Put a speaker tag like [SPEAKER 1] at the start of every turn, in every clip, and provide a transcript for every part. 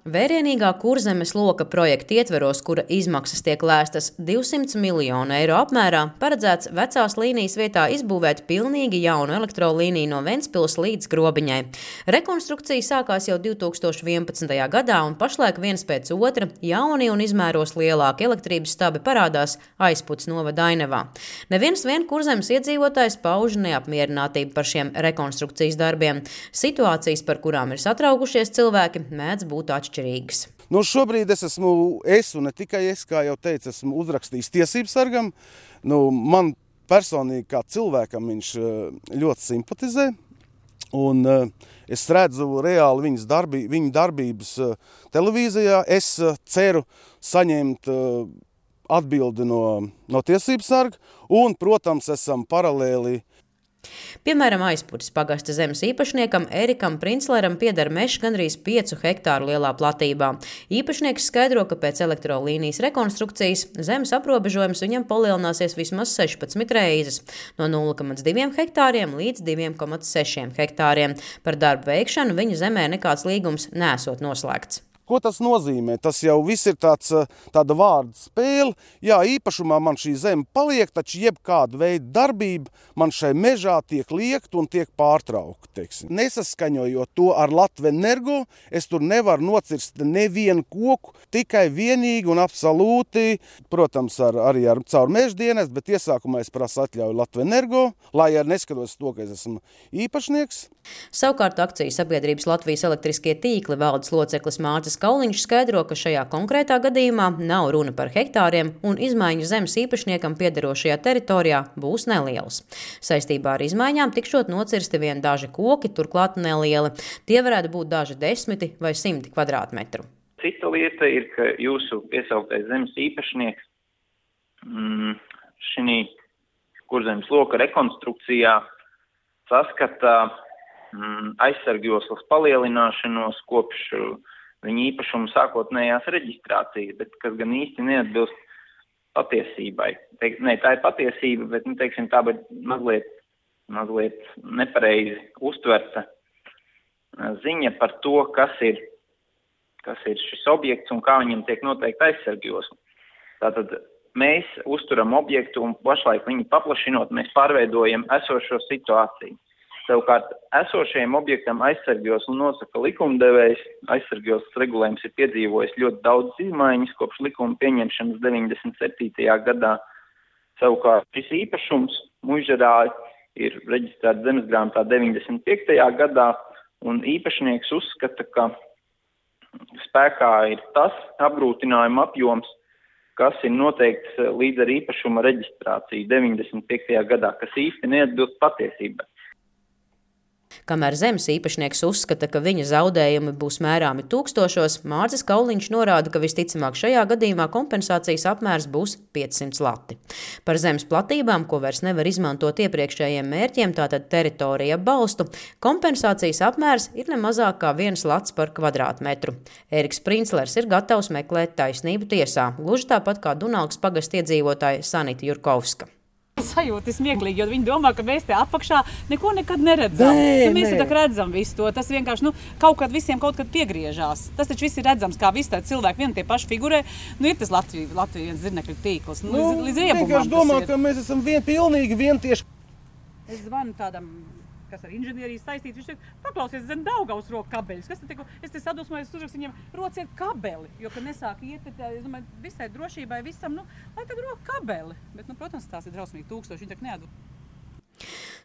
[SPEAKER 1] Vērienīgā Kurzemes loka projekta ietveros, kura izmaksas tiek lēstas 200 miljonu eiro apmērā, paredzēts vecās līnijas vietā izbūvēt pilnīgi jaunu elektrolīniju no Ventspils līdz Grobiņai. Rekonstrukcija sākās jau 2011. gadā, un pašlaik viens pēc otra jauni un izmēros lielāki elektrības stabi parādās Aizputs novada Ainavā. Neviens vien Kurzemes iedzīvotājs pauž neapmierinātību par šiem rekonstrukcijas darbiem. Situācijas, par kurām ir satraukušies cilvēki, mēdz būt atšķirīgas.
[SPEAKER 2] Šobrīd es un ne tikai es, kā jau teicu, esmu uzrakstījis tiesību sargam. Man personīgi kā cilvēkam viņš ļoti simpatizē. Un es redzu reāli viņu darbības televīzijā. Es ceru saņemt atbildi no tiesību sarga. Un, protams, esam paralēli.
[SPEAKER 1] Piemēram, Aizputis pagasta zemes īpašniekam Erikam Princleram pieder mežs gandrīz 5 hektāru lielā platībā. Īpašnieks skaidro, ka pēc elektrolīnijas rekonstrukcijas zemes aprobežojums viņam palielināsies vismaz 16 reizes – no 0,2 hektāriem līdz 2,6 hektāriem. Par darbu veikšanu viņa zemē nekāds līgums nesot noslēgts.
[SPEAKER 2] Ko tas nozīmē? Tas jau viss ir tāda vārda spēle. Jā, īpašumā man šī zeme paliek, taču jebkāda veida darbība man šai mežā tiek liekta un tiek pārtraukta. Nesaskaņojot to ar Latvenergo, es tur nevaru nocirst nevienu koku, tikai vienīgi un absolūti, protams, arī caur meža dienestu, bet iesākumā es prasu atļauju Latvenergo, lai arī neskatos to, ka es esmu īpašnieks.
[SPEAKER 1] Savukārt akciju sabiedrības Latvijas elektriskie tīkli valdes loceklis Mārcis Kauliņš skaidro, ka šajā konkrētā gadījumā nav runa par hektāriem un izmaiņu zemes īpašniekam piederošajā teritorijā būs nelielas. Saistībā ar izmaiņām tikšot nocirsti vien daži koki, turklāt nelieli. Tie varētu būt daži 10 vai 100 kvadrātmetru.
[SPEAKER 3] Cita lieta ir, ka jūsu piesauktais zemes īpašnieks šī Kurzemes loka rekonstrukcijā saskata aizsargjoslas palielināšanos kopš viņa īpašuma sākotnējās reģistrācijas, bet kas gan īsti neatbilst patiesībai. Tā ir patiesība, bet tā ir mazliet nepareizi uztverta ziņa par to, kas ir šis objekts un kā viņam tiek noteikti aizsargjosla. Tātad mēs uzturam objektu un pašlaik viņu paplašinot, mēs pārveidojam esošo situāciju. Savukārt, esošajam objektam aizsargjoslu nosaka likumdevējs. Aizsargjoslas regulējums ir piedzīvojis ļoti daudz izmaiņas kopš likuma pieņemšanas 97. gadā. Savukārt, šis īpašums Muižarā ir reģistrēts zemesgrāmatā 95. gadā, un īpašnieks uzskata, ka spēkā ir tas apgrūtinājuma apjoms, kas ir noteikts līdz ar īpašuma reģistrāciju 95. gadā, kas īsti neatbilst patiesībai.
[SPEAKER 1] Kamēr zemes īpašnieks uzskata, ka viņa zaudējumi būs mērāmi tūkstošos, Mārcis Kauliņš norāda, ka visticamāk šajā gadījumā kompensācijas apmērs būs 500 lati. Par zemes platībām, ko vairs nevar izmantot iepriekšējiem mērķiem, tātad teritorija balstu, kompensācijas apmērs ir ne mazāk kā 1 lats par kvadrātmetru. Eriks Princlers ir gatavs meklēt taisnību tiesā, gluži tāpat kā Dunalgas pagasta iedzīvotāja Sanita Jurkovska.
[SPEAKER 4] Sajūta ir smieklīgi, jo viņi domā, ka mēs te apakšā neko nekad neredzam. Mēs te redzam visu to. Tas vienkārši kaut kad visiem kaut kad piegriežās. Tas taču viss ir redzams, kā visi tādi cilvēki vien tie paši figurē. Ir tas Latvijas zirnekļu tīkls. Līdz riebumam
[SPEAKER 2] vienkārši domā, ka mēs esam pilnīgi vientieši.
[SPEAKER 4] Es zvanu tādam, kas ar inženieriju saistīts, viņš teica, paklausies zem Daugavas roku kabeļus. Es te sadusmojos, uzrakstu viņam, rociet kabeli, jo, kad nesāk iet, es domāju, visai drošībai visam, lai tad roku kabeli. Bet, protams, tās ir drausmīgi 1000, viņi tak neatdod.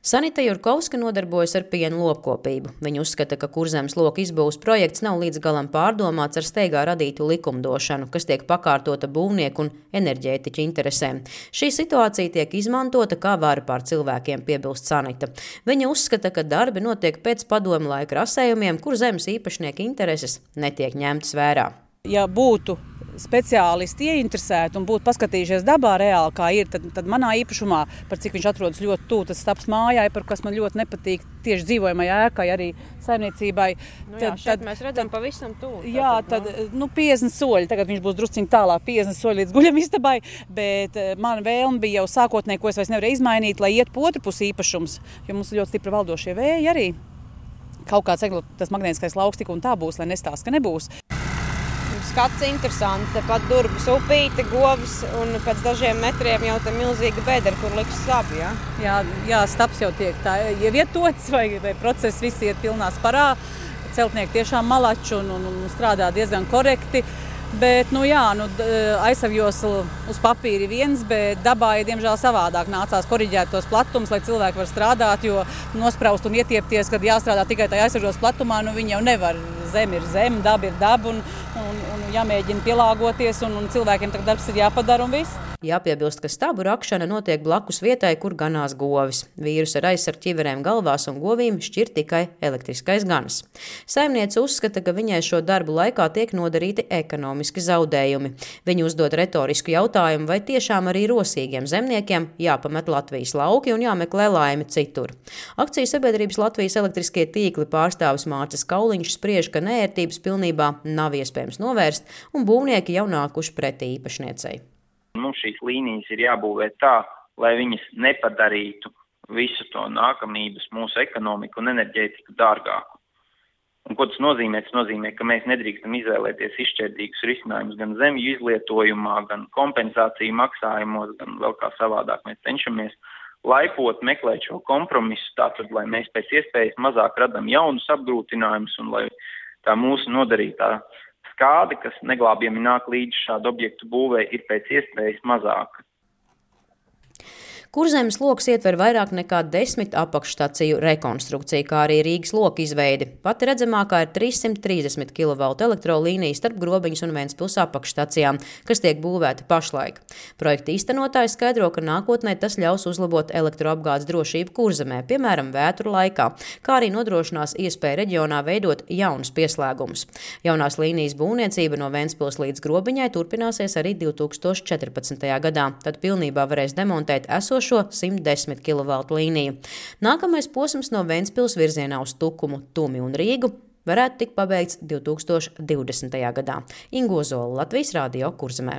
[SPEAKER 1] Sanita Jurkovska nodarbojas ar pienu lopkopību. Viņa uzskata, ka Kurzemes loka izbūves projekts nav līdz galam pārdomāts ar steigā radītu likumdošanu, kas tiek pakārtota būvnieku un enerģētiķu interesēm. Šī situācija tiek izmantota kā vara pār cilvēkiem, piebilst Sanita. Viņa uzskata, ka darbi notiek pēc padomu laika rasējumiem, kur zemes īpašnieka intereses netiek ņemtas vērā.
[SPEAKER 4] Ja būtu speciālisti ieinteresēti un būtu paskatījušies dabā reāli, kā ir, tad manā īpašumā, par cik viņš atrodas ļoti tuvu, tas stāps mājai, par kas man ļoti nepatīk tieši dzīvojamai ēkai, arī saimniecībai.
[SPEAKER 5] Šeit mēs redzam pavisam tuvu.
[SPEAKER 4] Jā, tad 50 soļi, tagad viņš būs drusciņ tālāk, 50 soļi līdz guļamistabai, bet man vēlme bija jau sākotnēji, ko es vairs nevarēju izmainīt, lai iet pa otru pusi īpašums, jo mums ļoti stipri valdošie vēji arī. Kaut kāds tas magnētiskais lauks tik un tā būs, lai nestāsta, ka nebūs.
[SPEAKER 5] skats interesants. Tepat Durbas upīte, govs un pēc dažiem metriem jau tā milzīga bedra, kur liks stabi, ja?
[SPEAKER 4] Jā, stabs jau tiek tā ievietots vai process visi iet pilnā sparā. Celtnieki tiešām malači un strādā diezgan korekti. Bet, aizsargjosla uz papīra ir viens, bet dabā ir diemžēl savādāk. Nācās koriģēt tos platumus, lai cilvēki var strādāt, jo nospraust un ietiepties, kad jāstrādā tikai tajā aizsargjoslas platumā, viņi jau nevar. Zeme ir zeme, daba ir daba un jāmēģina pielāgoties un cilvēkiem tagad darbs ir jāpadara un viss.
[SPEAKER 1] Jāpiebilst, ka stabu rakšana notiek blakus vietai, kur ganās govis. Vīrus ar aizsargu ķiverēm galvās un govīm šķir tikai elektriskais ganas. Saimniece uzskata, ka viņai šo darbu laikā tiek nodarīti ekonomiski zaudējumi. Viņa uzdod retorisku jautājumu, vai tiešām arī rosīgiem zemniekiem jāpamet Latvijas lauki un jāmeklē laimi citur. Akciju sabiedrības Latvijas elektriskie tīkli pārstāvis Mārcis Kauliņš spriež, ka neērtības pilnībā nav iespējams novērst un būvnieki jau nākuši pretī īpašniecei.
[SPEAKER 3] Mums šīs līnijas ir jābūvē tā, lai viņas nepadarītu visu to nākamības mūsu ekonomiku un enerģētiku dārgāku. Un ko tas nozīmē? Tas nozīmē, ka mēs nedrīkstam izvēlēties izšķērdīgus risinājumus gan zemju izlietojumā, gan kompensāciju maksājumos, gan vēl kā savādāk. Mēs cenšamies laipot, meklēt šo kompromisu, tātad, lai mēs pēc iespējas mazāk radam jaunus apgrūtinājumus un lai tā mūsu nodarītā skāde, kas neglābjami nāk līdz šādu objektu būvē, ir pēc iespējas mazāka.
[SPEAKER 1] Kurzemes loks ietver vairāk nekā 10 apakšstaciju rekonstrukciju, kā arī Rīgas loka izveidi. Pati redzamākā ir 330 kV elektrolīnija starp Grobiņas un Ventspils apakšstacijām, kas tiek būvēta pašlaik. Projekta īstenotāji skaidro, ka nākotnē tas ļaus uzlabot elektroapgādes drošību Kurzemē, piemēram, vētru laikā, kā arī nodrošinās iespēju reģionā veidot jaunus pieslēgumus. Jaunās līnijas būvniecība no Ventspils līdz Grobiņai turpināsies arī 2014. gadā, tad pilnībā varēs demontēt esošo 110 kV līniju. Nākamais posms no Ventspils virzienā uz Tukumu, Tumi un Rīgu varētu tikt pabeigts 2020. gadā. Ingo Zola, Latvijas Radio, Kurzemē.